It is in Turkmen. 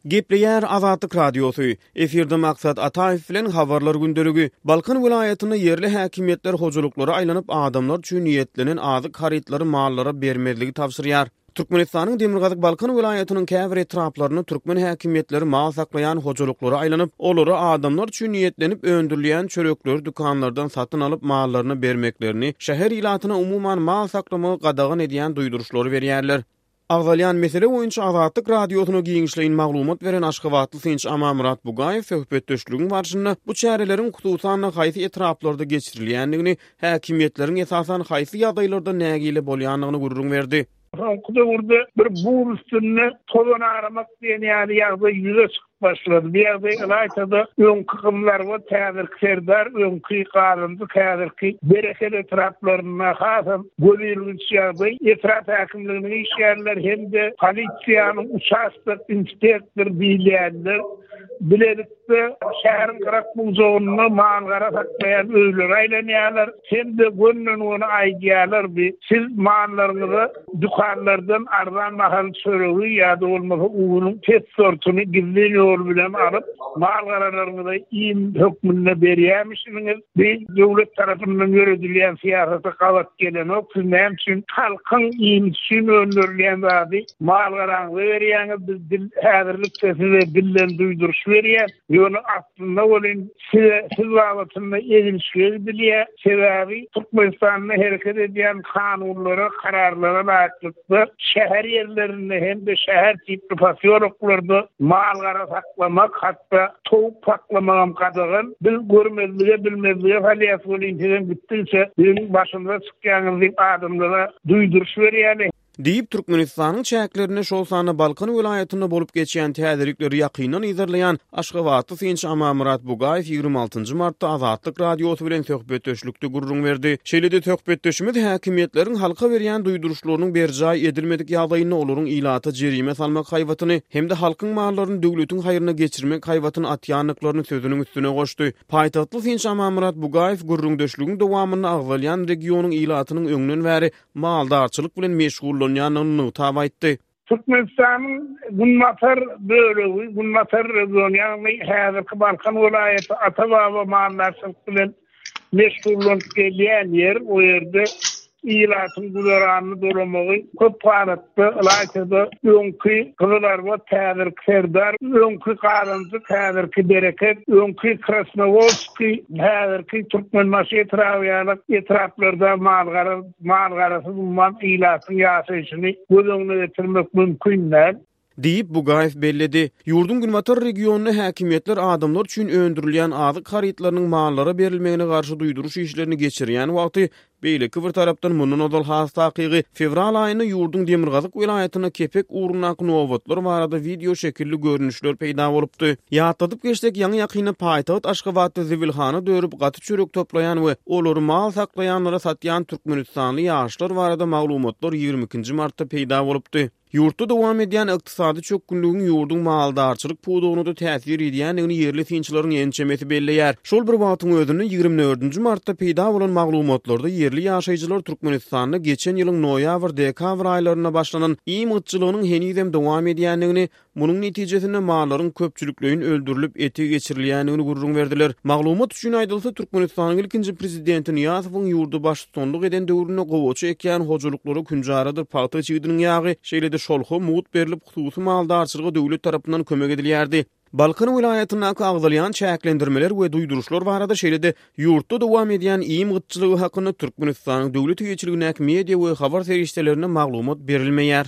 Gepleýär Azatlyk Radiosy, Efirde Maksat Ataýew bilen Habarlar gündeligi. Balkan welaýatynda ýerli häkimiýetler hojalyklara aýlanyp, adamlar üçin niýetlenen azyk harytlary mallara bermezligi tabşyrýar. Türkmenistanyň demirgazyk Balkan welaýatynyň käbir etraplarynda türkmen häkimiýetleri mal saklaýan hojalyklara aýlanyp, olara adamlar üçin niýetlenip öndürilýän çörekleri dükanlardan satyn alyp mallaryna bermeklerini, şäher ilatyna umuman mal saklamagy gadagan edýän duýduryşlary berýärler. Agzalýan mesele boýunça Azatlyk Radiosyna giňişleýin maglumat beren aşgabatly synçy Amanmyrat Bugaýew söhbetdeşligiň barşynda bu çäreleriň hususan-da haýsy etraplarda geçirilýändigini, häkimiýetleriň esasan haýsy ýagdaýlarda nägile bolýandygyny gürrüň berdi. Soňky döwürde bir buz üstünde tozan aramak diýen ýaly ýagdaý ýüze çykyp başlady. Bu ýagdaý ylaýta-da öňki Gyzylarbat, häzirki Serdar, öňki Gazynjyk, häzirki Bereket etraplarynda hasam gözilginç ýagdaý. Etrap häkimliginiň işgärleri hem-de polisiýanyň uçastok inspektory diýilýänler bilelikde şäheriň gyrak-bujagynda mal-gara saklaýan öýlere aýlanýarlar hem-de gönden-göni aýdýarlar, bi siz mallaryňyza Dükanlardan arzan bahaly çöregi ýa-da bolmasa unuň pes sortuny gizlin ýol bilen alyp, mal-garalaryňyza iým hökmünde berýärmişiňiz. Bu döwlet tarapyndan ýöredilýän syýasata gabat gelenok. Siz näme üçin halkyň iýmiti üçin öndürilýän zady mal-garaňyza berýäňiz? Biz dil häzirlikçe size dilden duýduryş berýäs. Ýöne aslynda welin size siz babatynda egilşige gidilýär. Sebäbi Türkmenistanda hereket edýän kanunlara, kararlara laýyklykda şäher ýerlerinde hem-de şäher tipli posýoloklarda mal-gara saklamak, hatda towuk saklamagam gadagan. Biz görmezlige, bilmezlige salýas welin sizem gitdigiçe biziň başymyza çykýaňyz diýip adamlara duýduryş berýärler. Diýip, Türkmenistanyň çäklerinde, şol sanda Balkan welaýatynda bolup geçýän täzelikleri ýakyndan yzarlaýan aşgabatly synçy Amanmyrat Bugaýew 26 nji martda Azatlyk Radiosy bilen söhbetdeşlikde gürrüň berdi. Şeýle-de söhbetdeşimiz häkimiýetleriň halka berýän duýduryşlarynyň berjaý edilmedik ýagdaýynda olaryň ilata jerime salmak haýbatyny hem-de halkyň mallaryny döwletiň haýryna geçirmek haýbatyny atýandyklaryny sözüniň üstüne goşdy. Paýtagtly synçy Amanmyrat Bugaýew gürrüňdeşligiň dowamynda agzalýan regionyň ilatynyň öňden bäri maldarçylyk bilen meşgullanýandygyny nygtap aýtdy. Türkmenistanyň günbatar bölegi, günbatar regiony, ýagny häzirki Balkan welaýaty ata-baba maldarçylyk bilen meşgullanyp gelýän ýer. O ýerde ilatyň güzeranyny dolamagy köp halatda, ylaýta-da öňki Gyzylarbat, häzirki Serdar, öňki Gazanjyk, häzirki Bereket, öňki Krasnowodskiý, häzirki Türkmenbaşy etraby ýaly etraplarda mal-gara Mal-garasyz umuman ilatyň ýaşaýşyny göz öňüne getirmek mümkin däl. Diýip, Bugaýew belledi. Ýurduň günbatar regionynda häkimiýetler adamlar üçin öndürilýän azyk harytlarynyň mallara berilmegine garşy duýduryş işlerini geçirýän wagty, beýleki bir tarapdan mundan ozal has takygy, fewral aýynda ýurduň demirgazyk welaýatynda kepek ugrundaky nobatlar barada wideo şekilli görnüşler peýda bolupdy. Ýatladyp geçsek, ýaňy-ýakynda paýtagt Aşgabatda zibilhana dörüp, gaty çörek toplaýan we olary mal saklaýanlara satýan türkmenistanly ýaşlar barada maglumatlar 22 nji martda peýda bolupdy. Ýurtda dowam edýän ykdysady çökgünligiň ýurduň maldarçylyk pudagyna-da täsir edýändigini ýerli synçylaryň ençemesi belleýär. Şol bir wagtyň özünde, 24 nji martda peýda bolan maglumatlarda ýerli ýaşaýjylar Türkmenistanda geçen ýylyň noýabr-dekabr aýlarynda başlanan iým gytçylygynyň henizem dowam edýändigini, Munuň netijesinde mallaryň köpçülikleýin öldürilip, ete geçirilýändigini gürrüň berdiler. Maglumat üçin aýdylsa, Türkmenistanyň ilkinji prezidenti Nyýazowyň ýurda baştutanlyk eden döwründe gowaça ekýän hojalyklara künjaradyr pagta çigidiniň ýagy, şeýle-de şolha mugt berlip, hususy maldarçylyga döwlet tarapyndan kömek edilýärdi. Balkan welaýatyndaky agzalýan çäklendirmeler we duýduryşlar barada, şeýle-de ýurtda dowam edýän iým gytçylygy hakynda Türkmenistanyň döwlet eýeçiligindäki media we habar serişdelerinde maglumat berilmeýär.